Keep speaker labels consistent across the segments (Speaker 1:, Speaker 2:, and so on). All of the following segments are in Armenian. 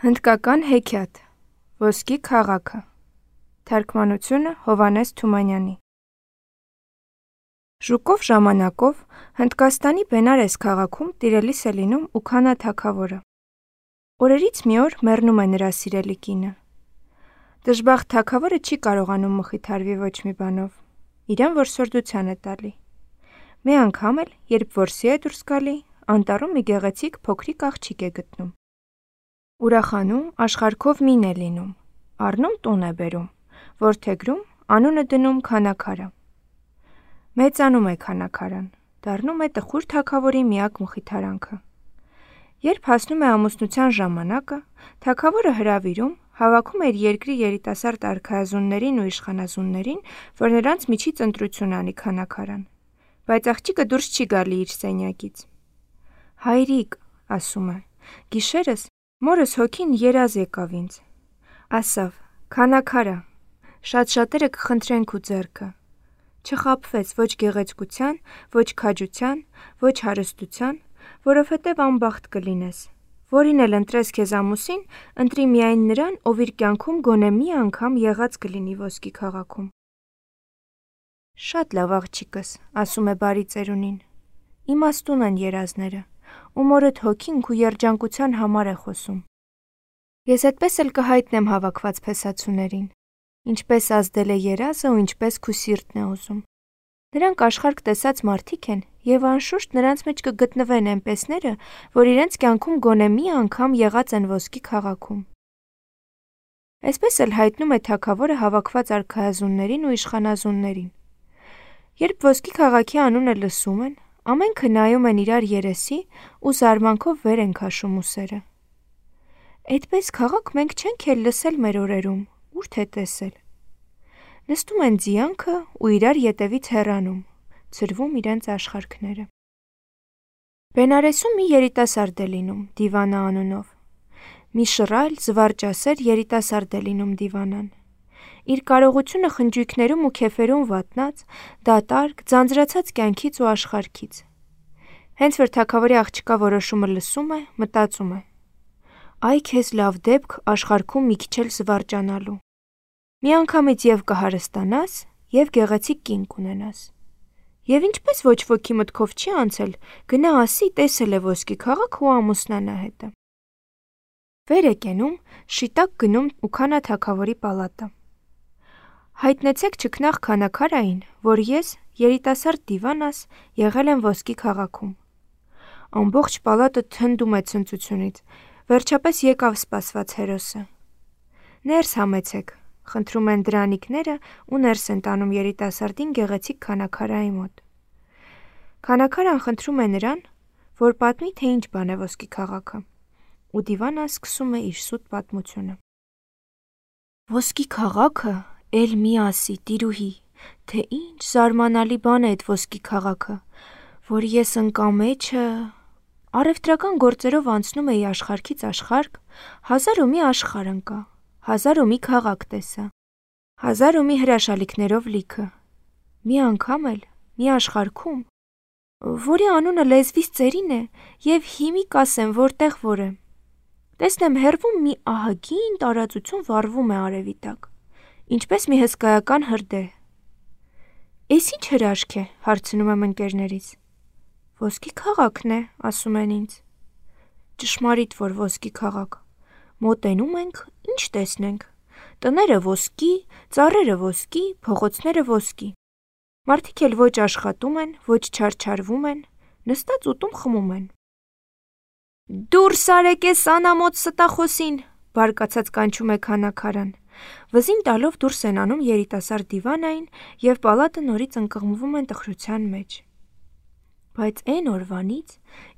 Speaker 1: Հնդկական հեքիաթ Ոսկի քաղաքը Թարգմանությունը Հովհաննես Թումանյանի Ժուկով ժամանակով Հնդկաստանի Բենարես քաղաքում տիրելիս է լինում Ուքանա թագավորը։ Օրերից մի օր մեռնում է նրա սիրելի կինը։ Դժբախտ թագավորը չի կարողանում մխիթարվի ոչ մի բանով, իրեն որսորդության է տալի։ Մի անգամ էլ, երբ որսի է դուրս գալի, անտառում մի գեղեցիկ փոքրիկ աղջիկ է գտնում։ Ուրախանում աշխարհքով մին է լինում, առնում տուն է բերում, որդեգրում, անունը դնում Քանաքարա։ Մեծանում է Քանաքարան, դառնում է տխուր թագավորի միակ մխիթարանքը։ Երբ հասնում է ամուսնության ժամանակը, թագավորը հրավիրում, հավաքում է իր երկրի երիտասարդ արքայազուններին ու իշխանազուններին, որ նրանց միջից ընտրություն անի Քանաքարան, բայց աղջիկը դուրս չի գալի իր սենյակից։ «Հայրիկ», ասում է, «գիշերս մորս հոգին երազ եկավ ինձ, ասավ. Քանաքարա, շատ-շատերը կխնդրեն քու ձեռքը, չխաբվես ոչ գեղեցկության, ոչ քաջության, ոչ հարստության, որովհետև անբախտ կլինես, որին էլ ընտրես քեզ ամուսին, ընտրի միայն նրան, ով իր կյանքում գոնե մի անգամ եղած կլինի ոսկի քաղաքում»։ «Շատ լավ աղջիկս», ասում է բարի ծերունին, «իմաստուն են երազները, ու մորդ հոգին քու երջանկության համար է խոսում։ Ես այդպես էլ կհայտնեմ հավաքված փեսացուներին, ինչպես ազդել է երազը ու ինչպես քու սիրտն է ուզում։ Նրանք աշխարհք տեսած մարդիկ են և անշուշտ նրանց մեջ կգտնվեն էնպեսները, որ իրենց կյանքում գոնե մի անգամ եղած են ոսկի քաղաքում»։ Այսպես էլ հայտնում է թագավորը հավաքված արքայազուններին ու իշխանազուններին։ Երբ ոսկի քաղաքի անունը լսում են, ամենքը նայում են իրար երեսի ու զարմանքով վեր են քաշում ուսերը։ «Այդպես քաղաք մենք չենք էլ լսել մեր օրերում, ուր թե տեսել»։ Նստում են ձիանքը ու իրար ետևից հեռանում, ցրվում իրենց աշխարհքները։ Բենարեսում մի երիտասարդ է լինում Դիվանա անունով։ Մի շռայլ, զվարճասեր երիտասարդ է լինում Դիվանան։ Իր կարողությունը խնջույքներում ու քեֆերում վատնած, դատարկ, ձանձրացած կյանքից ու աշխարհքից։ Հենց որ թագավորի աղջկա որոշումը լսում է, մտածում է. «Այ քեզ լավ դեպք աշխարհքում մի քիչ էլ զվարճանալու։ Միանգամից և կհարստանաս, և գեղեցիկ կին կունենաս։ Եվ ինչպես ոչ ոքի մտքով չի անցել, գնա ասի տեսել է ոսկի քաղաքը ու ամուսնանա հետը»։ Վեր է կենում, շիտակ գնում Ուքանա թագավորի պալատը։ «Հայտնեցեք չքնաղ Քանաքարային, որ ես, երիտասարդ Դիվանաս, եղել եմ ոսկի քաղաքում»։ Ամբողջ պալատը թնդում է ցնծությունից, վերջապես եկավ սպասված հերոսը։ «Ներս համեցեք», խնդրում են դրանիկները ու ներս են տանում երիտասարդին գեղեցիկ Քանաքարայի մոտ։ Քանաքարան խնդրում է նրան, որ պատմի, թե ինչ բան է ոսկի քաղաքը, ու Դիվանան սկսում է իր սուտ պատմությունը։ «Ոսկի քաղաքը, էլ մի ասի, տիրուհի, թե ինչ զարմանալի բան է էդ ոսկի քաղաքը, որ ես ընկամեջը առևտրական գործերով անցնում էի աշխարհքից աշխարհք, 1000 ու մի աշխարհ ընկա, 1000 ու մի քաղաք տեսա, 1000 ու մի հրաշալիքներով լիքը։ Մի անգամ էլ, մի աշխարհքում, որի անունը լեզվիս ծերին է և հիմիկ ասեմ որտեղ որ է, տեսնեմ հեռվում մի ահագին տարածություն վառվում է արևի տակ, ինչպես մի հսկայական հրդեհ։ Էս ինչ հրաշք է, հարցնում եմ ընկերներիս։ «Ոսկի քաղաքն է», ասում են ինձ։ Ճշմարիտ որ ոսկի քաղաք։ Մոտենում ենք, ինչ տեսնենք. տները ոսկի, ծառերը ոսկի, փողոցները ոսկի։ Մարդիկ էլ ոչ աշխատում են, ոչ չարչարվում են, նստած ուտում խմում են։ «Դուրս արեք էս անամոթ ստախոսին», բարկացած կանչում է Քանաքարան։ Վզին տալով դուրս են անում երիտասարդ Դիվանային և պալատը նորից ընկղմվում են տխրության մեջ։ Բայց էն օրվանից,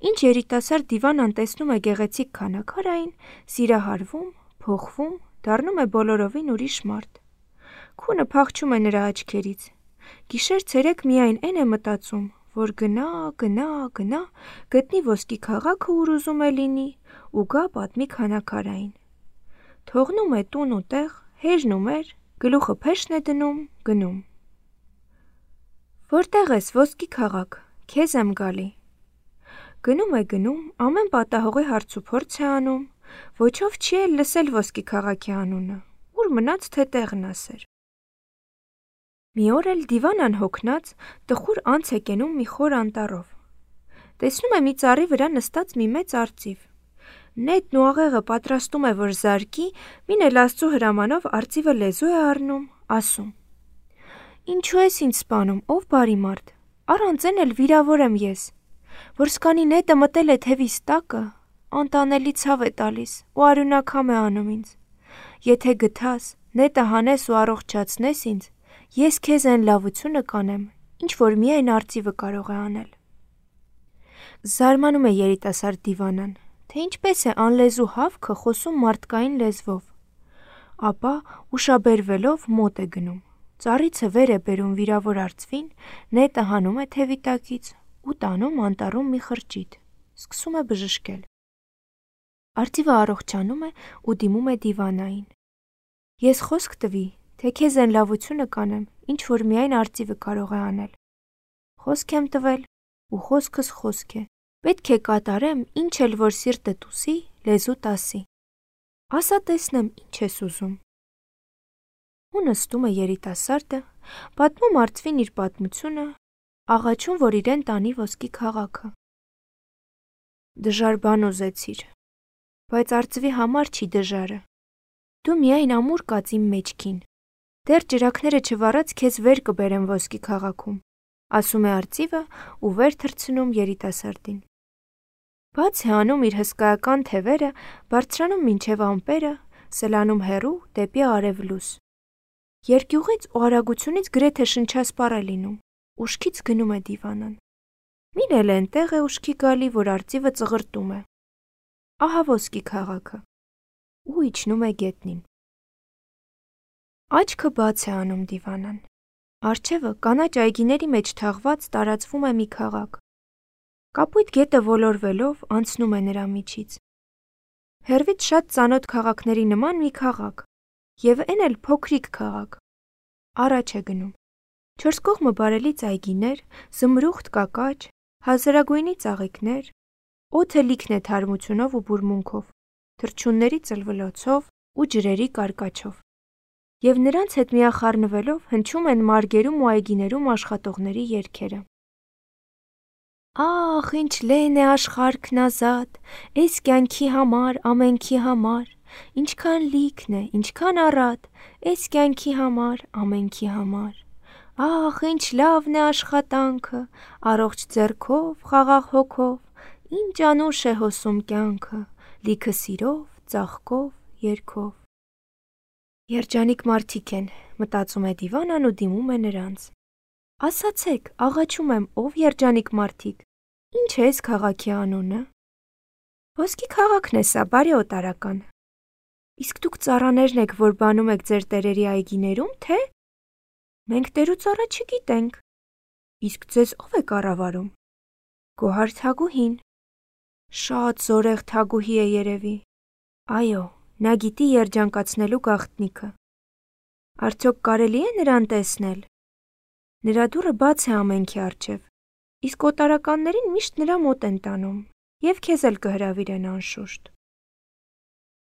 Speaker 1: ինչ երիտասարդ Դիվանան տեսնում է գեղեցիկ Քանաքարային, սիրահարվում, փոխվում, դառնում է բոլորովին ուրիշ մարդ։ Քունը փախչում է նրա աչքերից։ Գիշեր-ցերեկ միայն էն է մտածում, որ գնա, գտնի ոսկի քաղաքը, ուր ուզում է լինի, ու գա պատմի Քանաքարային։ Թողնում է տուն ու տեղ, հեժնում էր, գլուխը փեշն է դնում, գնում։ «Որտեղ ես, ոսկի քաղաք, քեզ եմ գալի»։ Գնում է գնում, ամեն պատահողի հարց ու փորձ է անում, ոչով չի էլ լսել ոսկի քաղաքի անունը, ուր մնաց թե տեղն ասեր։ Մի օր էլ դիվանան հոգնած տխուր անց է կենում մի խոր անտառով։ Տեսնում է մի ծառի վրա նստած մի մեծ արծիվ։ Նետն ու աղեղը պատրաստում է, որ զարկի, մին էլ Աստծո հրամանով արծիվը լեզու է առնում, ասում. «Ինչու ես ինձ սպանում, ով բարի մարդ, առանց էլ վիրավոր եմ ես, որ սկանի նետը մտել է թևիս տակը, անտանելի ցավ է տալիս ու արյունակամ է անում ինձ։ Եթե գթաս, նետը հանես ու առողջացնես ինձ, ես քեզ այն լավությունը կանեմ, ինչ որ միայն արծիվը կարող է անել»։ Զարմանում է երիտասարդ դիվանան, թե ինչպես է անլեզու հավքը խոսում մարդկային լեզվով։ Ապա ուշաբերվելով մոտ է գնում, ծառիցը վեր է բերում վիրավոր արծվին, նետը հանում է թևի տակից ու տանում անտառում մի խրճիթ, սկսում է բժշկել։ Արծիվը առողջանում է ու դիմում է դիվանային. «Ես խոսք տվի, թե քեզ այն լավությունը կանեմ, ինչ որ միայն արծիվը կարող է անել։ Խոսք եմ տվել ու խոսքս խոսք է, պետք է կատարեմ, ինչ էլ որ սիրտդ ուզի, լեզուտ ասի։ Ասա տեսնեմ, ինչ ես ուզում»։ Ու նստում է երիտասարդը, պատմում արծվին իր պատմությունը, աղաչում, որ իրեն տանի ոսկի քաղաքը։ «Դժար բան ուզեցիր, բայց արծվի համար չի դժարը։ Դու միայն ամուր կաց իմ մեջքին, դեռ ճրագները չվառած քեզ վեր կբերեմ ոսկի քաղաքում», ասում է արծիվը ու վեր թռցնում երիտասարդին։ Բաց է անում իր հսկայական թևերը, բարձրանում մինչև ամպերը, սլանում հեռու դեպի արևլույս։ Երկյուղից ու արագությունից գրեթե շնչասպառ է լինում, ուշքից գնում է դիվանան։ Մին էլ էնտեղ է ուշքի գալի, որ արծիվը ծղրտում է։ Ահա ոսկի քաղաքը։ Ու իջնում է գետնին։ Աչքը բաց է անում դիվանան։ Առջևը կանաչ այգիների մեջ թաղված տարածվում է մի քաղաք։ Կապույտ գետը ոլորվելով անցնում է նրա միջից։ Հեռվից շատ ծանոթ քաղաքների նման մի քաղաք, եւ էն էլ փոքրիկ քաղաք։ Առաջ է գնում։ Չորս կողմը բարելից այգիներ, զմրուխտ կակաչ, հազարագույնի ծաղիկներ, օդը լիքն է թարմությունով ու բուրմունքով, թռչունների ծլվլոցով ու ջրերի կարկաչով։ Եվ նրանց հետ միախառնվելով հնչում են մարգերում ու այգիներում աշխատողների երգերը։ Ախ, ինչ լեն է աշխարհքն ազատ, էս կյանքի համար, ամենքի համար, ինչքան լիքն է, ինչքան առատ, էս կյանքի համար, ամենքի համար։ Ախ, ինչ լավն է աշխատանքը, առողջ ձեռքով, խաղաղ հոգով, ինչ անուշ է հոսում կյանքը, լիքը սիրով, ծաղկով, երգով։ Երջանիկ մարդիկ են, մտածում է դիվանան ու դիմում է նրանց։ Ասացեք, աղաչում եմ, ով երջանիկ մարդիկ, ինչ է այս քաղաքի անունը։ Ոսկի քաղաքն է սա, բարի օտարական։ Իսկ դուք ծառաներն եք, որ բանում եք ձեր տերերի այգիներում, թե։ Մենք տեր ու ծառա չգիտենք։ Իսկ ձեզ ով է կառավարում։ Գոհար Թագուհին։ Շատ զորեղ Թագուհի է երևի։ Այո, նա գիտի երջանկացնելու գաղտնիքը։ Արդյոք կարելի է նրան տեսնել։ Նրա դուռը բաց է ամենքի առջև, իսկ օտարականներին միշտ նրա մոտ են տանում, եւ քեզ էլ կհրավիրեն անշուշտ։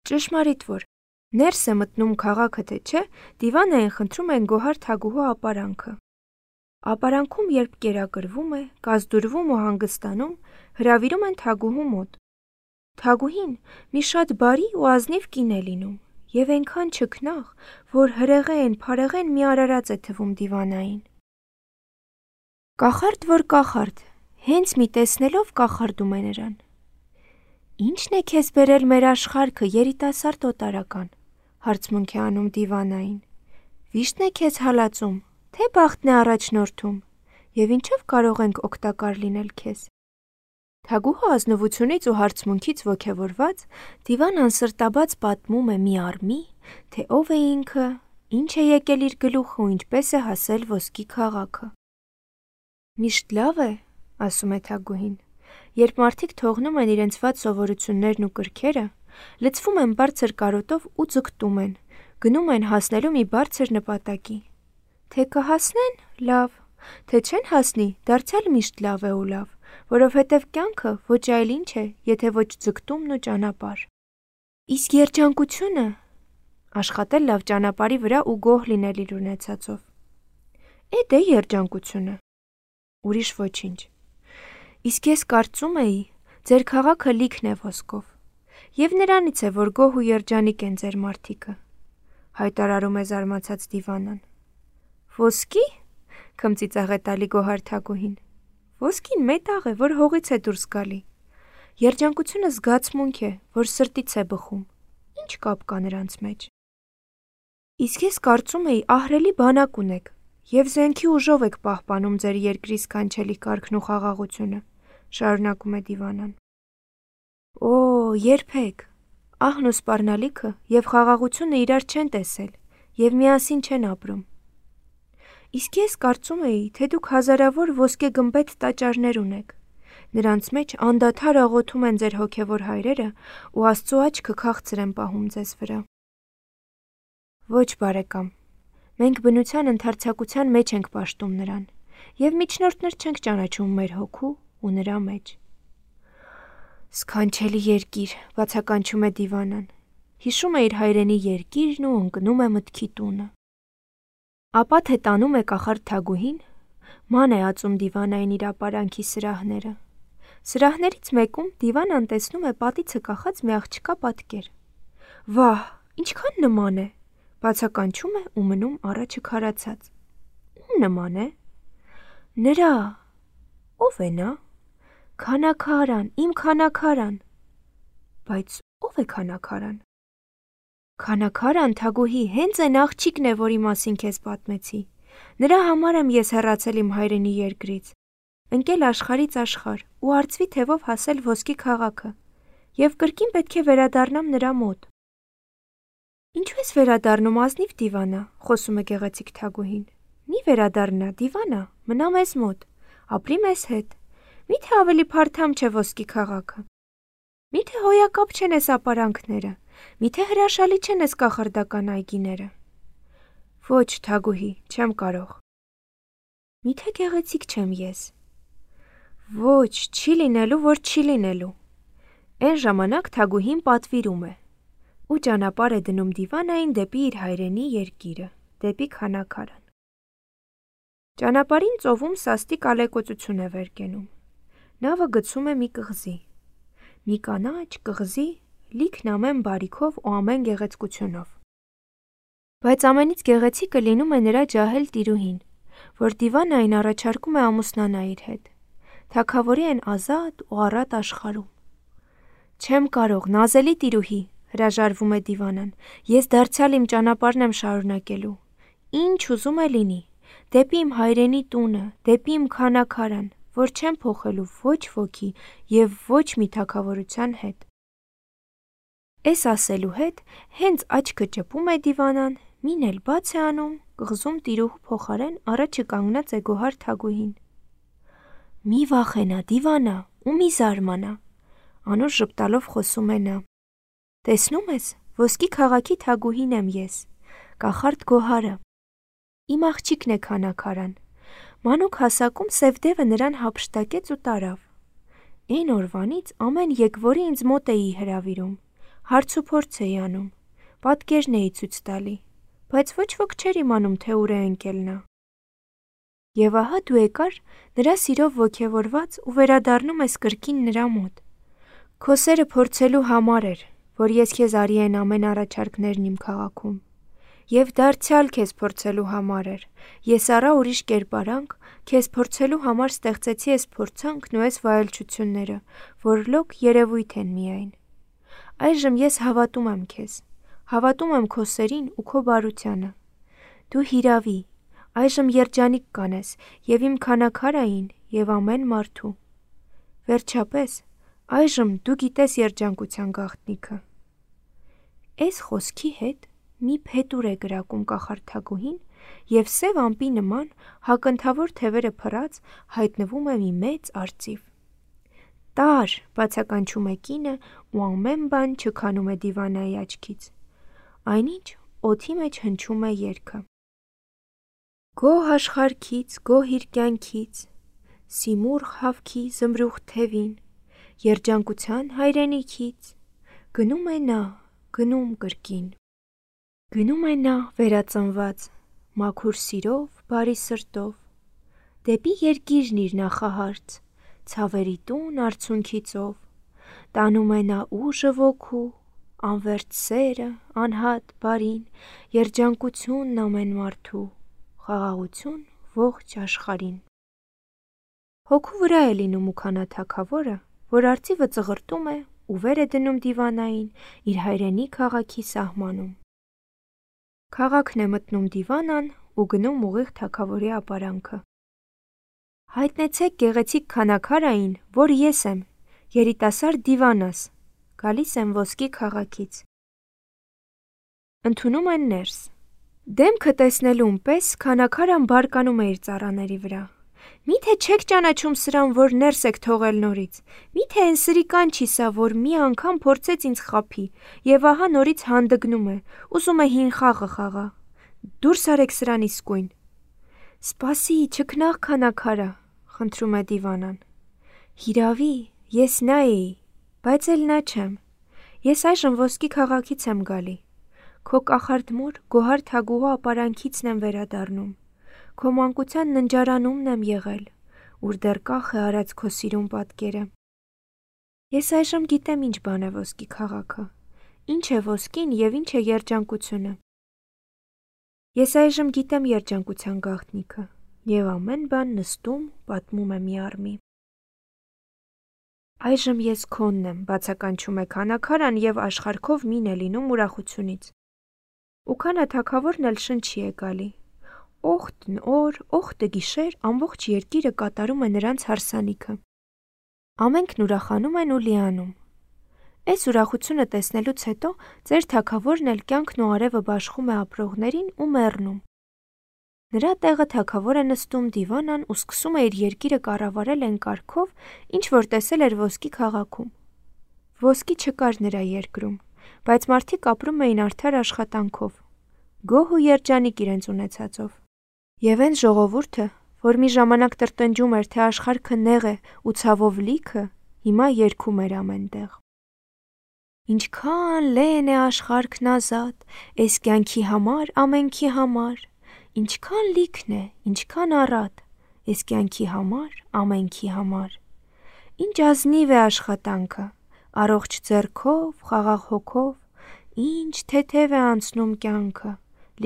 Speaker 1: Ճշմարիտ որ ներս է մտնում քաղաքը, թե չէ, դիվանային խնդրում են Գոհար Թագուհու ապարանքը։ Ապարանքում երբ կերակրվում է, կազդուրվում ու հանգստանում, հրավիրում են Թագուհու մոտ։ Թագուհին մի շատ բարի ու ազնիվ կին է լինում, եւ այնքան չքնաղ, որ հրեղեն, փարեղեն մի արարած է թվում դիվանային։ Կախարդ որ կախարդ, հենց մի տեսնելով կախարդում է նրան։ Ի՞նչն է քեզ բերել մեր աշխարհքը, երիտասարդ օտարական, հարցմունք է անում դիվանային։ Վիշտն է քեզ հալածում, թե բախտն է առաջնորդում, եւ ինչով կարող ենք օգտակար լինել քեզ։ Թագուհու ազնվությունից ու հարցմունքից ոգևորված դիվանան սրտաբաց պատմում է մի առ մի, թե ով է ինքը, ինչ է եկել իր գլուխը ու ինչպես է հասել ոսկի քաղաքը։ Միշտ լավ է, ասում է Թագուհին, երբ մարդիկ թողնում են իրենց վատ սովորություններն ու կրքերը, լցվում են բարձր կարոտով ու ձգտում են, գնում են հասնելու մի բարձր նպատակի։ Թե կհասնեն, լավ, թե չեն հասնի, դարձյալ միշտ լավ է ու լավ, որովհետև կյանքը ոչ այլ ինչ է, եթե ոչ ձգտումն ու ճանապարհ։ Իսկ երջանկությունը աշխատել լավ ճանապարհի վրա ու գոհ լինել իր ունեցածով։ Էդ է երջանկությունը։ Ուրիշ ոչինչ։ Իսկ ես կարծում էի, ձեր քաղաքը լիքն է ոսկով, եւ նրանից է, որ գոհ ու երջանիկ են ձեր մարդիկը, հայտարարում է զարմացած Դիվանան։ Ոսկի՞, քմծիծաղեց տալի գոհար Թագուհին։ Ոսկին մետաղ է, որ հողից է դուրս գալի։ Երջանկությունը զգացմունք է, որ սրտից է բխում։ Ինչ կապ կա նրանց մեջ։ Իսկ ես կարծում էի, ահռելի բանակ ունեք եւ զենքի ուժով եք պահպանում ձեր երկրի սքանչելի կարգն ու խաղաղությունը, շարունակում է Դիվանան։ Օ, երբեք։ Ահն ու սպառնալիքը եւ խաղաղությունը իրար չեն տեսել եւ միասին չեն ապրում։ Իսկ ես կարծում էի, թե դուք հազարավոր ոսկե գմբեթ տաճարներ ունեք։ Նրանց մեջ անդադար աղոթում են ձեր հոգևոր հայրերը ու Աստծո աչքը քաղցր են պահում ձեզ վրա։ Ոչ, բարեկամ, մենք բնության ընդարձակության մեջ ենք պաշտում նրան եւ միջնորդներ չենք ճանաչում մեր հոգու ու նրա մեջ։ Սքանչելի երկիր, բացականչում է Դիվանան, հիշում է իր հայրենի երկիրն ու ընկնում է մտքի տունը։ Ապա թե տանում է կախարդ Թագուհին, ման է ածում Դիվանային իր ապարանքի սրահները։ Սրահներից մեկում Դիվանան տեսնում է պատիցը կախած մի աղջկա պատկեր։ Վահ, ինչքան նման է, բացականչում է ու մնում առաջը քարացած։ Ում նման է։ Նրա։ Ո՞վ է նա։ Քանաքարան, իմ քանաքարան։ Բայց ո՞վ է քանաքարան։ Քանաքարան, Թագուհի, հենց այն աղջիկն է, որի մասին քեզ պատմեցի։ Նրա համար եմ ես հեռացել իմ հայրենի երկրից, ընկել աշխարհից աշխարհ ու արծվի թևով հասել ոսկի քաղաքը, եւ կրկին պետք է վերադառնամ նրա մոտ։ Ինչու ես վերադառնում, ազնիվ Դիվանա, խոսում է գեղեցիկ Թագուհին։ Մի վերադառնա, Դիվանա, մնա մեզ մոտ, ապրի մեզ հետ։ Միթե ավելի փարթամ չէ ոսկի քաղաքը։ Միթե հոյակապ չեն էս ապարանքները, միթե հրաշալի չեն էս կախարդական այգիները։ Ոչ, Թագուհի, չեմ կարող։ Միթե գեղեցիկ չեմ ես։ Ոչ, չի լինելու, որ չի լինելու։ Այն ժամանակ Թագուհին պատվիրում է ու ճանապարհ է դնում Դիվանային դեպի իր հայրենի երկիրը, դեպի քանաքարան։ Ճանապարհին ծովում սաստիկ ալեկոծություն է վեր կենում։ Նավը գցում է մի կղզի։ Մի կանաչ կղզի, լիքն ամեն բարիքով ու ամեն գեղեցկությունով։ Բայց ամենից գեղեցիկը լինում է նրա ջահել տիրուհին, որ Դիվանային առաջարկում է ամուսնանա իր հետ։ Թագավորի են ազատ ու առատ աշխարհում։ Չեմ կարող, նազելի տիրուհի, հրաժարվում է Դիվանան, ես դարձյալ իմ ճանապարհն եմ շարունակելու։ Ինչ ուզում է լինի, դեպի իմ հայրենի տունը, դեպի իմ քանաքարան, որ չեմ փոխելու ոչ ոքի եւ ոչ մի թագավորության հետ։ Էս ասելու հետ հենց աչքը ճպում է Դիվանան, մին էլ բաց է անում, կղզում տիրուհու փոխարեն առաջը կանգնած է գոհար Թագուհին։ Մի վախենա, Դիվանա, ու մի զարմանա, անուշ ժպտալով խոսում է նա։ Տեսնում ես, ոսկի քաղաքի Թագուհին եմ ես, կախարդ Գոհարը։ Իմ աղջիկն է քանաքարան։ Մանուկ հասակում Սևդևը նրան հափշտակեց ու տարավ։ Այն օրվանից ամեն եկվորի ինձ մոտ էի հրավիրում, հարց ու փորձ էի անում, պատկերն էի ցույց տալի, բայց ոչ ոք չէր իմանում, թե ուր է ընկել նա։ Եվ ահա դու եկար նրա սիրով ոգևորված ու վերադառնում ես կրկին նրա մոտ։ Քո սերը փորձելու համար էր, որ ես քեզ արի այն ամեն առաջարկներն իմ քաղաքում։ Եվ դարձյալ քեզ փորձելու համար էր, ես առա ուրիշ կերպարանք, քեզ փորձելու համար ստեղծեցի այս փորձանքն ու այս վայելչությունները, որ լոկ երևույթ են միայն։ Այժմ ես հավատում եմ քեզ, հավատում եմ քո սերին ու քո բարությանը։ Դու հիրավի, այժմ երջանիկ կանես եւ իմ քանաքարային եւ ամեն մարդու։ Վերջապես, այժմ դու գիտես երջանկության գաղտնիքը։ Այս խոսքի հետ մի փետուր է գրակում կախարդ Թագուհին եւ սև ամպի նման հակընթավոր թևերը փռած հայտնվում է մի մեծ արծիվ։ Տար, բացականչում է կինը ու ամեն բան չքանում է Դիվանայի աչքից։ Այնինչ օդի մեջ հնչում է երգը։ Գոհ աշխարհքից, գոհ իր կյանքից, Սիմուռ խավքի զմրուխտ թևին, երջանկության հայրենիքից, գնում է նա, գնում կրկին։ Գնում է նա վերածնված, մաքուր սիրով, բարի սրտով, դեպի երկիրն իր նախահարց, ցավերի տուն արցունքի ծով, տանում է նա ուժը ոգու, անվերջ սերը, անհատ բարին, երջանկությունն ամեն մարդու, խաղաղություն ողջ աշխարհին։ Հոգու վրա է լինում Ուքանա թագավորը, որ արծիվը ծղրտում է ու վեր է դնում դիվանային իր հայրենի քաղաքի սահմանում։ Քաղաքն է մտնում դիվանան ու գնում ուղիղ թագավորի ապարանքը։ Հայտնեցեք գեղեցիկ քանաքարային, որ ես եմ, երիտասարդ դիվանաս, գալիս եմ ոսկի քաղաքից։ Ընդունում են ներս։ Դեմքը տեսնելուն պես քանաքարան բարկանում է իր ծառաների վրա։ Միթե չեք ճանաչում սրան, որ ներս եք թողել նորից, միթե այն սրիկան չի սա, որ մի անգամ փորձեց ինձ խաբի, և ահա նորից հանդգնում է, ուզում է հին խաղը խաղա։ Դուրս արեք սրան իսկույն։ Սպասի, չքնաղ քանաքարա, խնդրում է դիվանան։ Հիրավի, ես նա էի, բայց էլ նա չեմ։ Ես այժմ ոսկի քաղաքից եմ գալի։ Քո կախարդ մոր գոհար թագուհու ապարանքիցն եմ վերադառնում։ Քո մանկության ննջարանումն եմ եղել, ուր դեռ կախ է արած քո սիրուն պատկերը։ Ես այժմ գիտեմ ինչ բան է ոսկի քաղաքը, ինչ է ոսկին և ինչ է երջանկությունը։ Ես այժմ գիտեմ երջանկության գաղտնիքը, և ամեն բան նստում պատմում է մի առմի։ Այժմ ես քոնն եմ, բացականչում է քանաքարան և աշխարհքով մին է լինում ուրախությունից։ Ուքանա թագավորն էլ շնչի է գալի։ Օխտն օր, օխտը գիշեր ամբողջ երկիրը կատարում է նրանց հարսանիքը։ Ամենքն ուրախանում են ու լիանում։ Այս ուրախությունը տեսնելուց հետո ձեր թագավորն էլ կյանքն ու արևը բաշխում է ապրողներին ու մեռնում։ Նրա տեղը թագավոր է նստում դիվանան ու սկսում է իր երկիրը կառավարել այն կարգով, ինչ որ տեսել էր ոսկի քաղաքում։ Ոսկի չկար նրա երկրում, բայց մարդիկ ապրում էին արդար աշխատանքով, գոհ ու երջանիկ իրենց ունեցածով։ Եվ այն ժողովուրդը, որ մի ժամանակ տրտնջում էր, թե աշխարհքը նեղ է ու ցավով լիքը, հիմա երգում էր ամենտեղ։ Ինչքան լեն է աշխարհքն ազատ, էս կյանքի համար, ամենքի համար, ինչքան լիքն է, ինչքան առատ, էս կյանքի համար, ամենքի համար։ Ինչ ազնիվ է աշխատանքը, առողջ ձեռքով, խաղաղ հոգով, ինչ թեթև է անցնում կյանքը,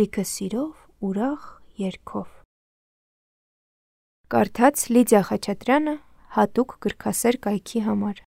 Speaker 1: լիքը սիրով, ուրախ երգով։ Կարդաց Լիդիա Խաչատրյանը հատուկ գրքասեր կայքի համար։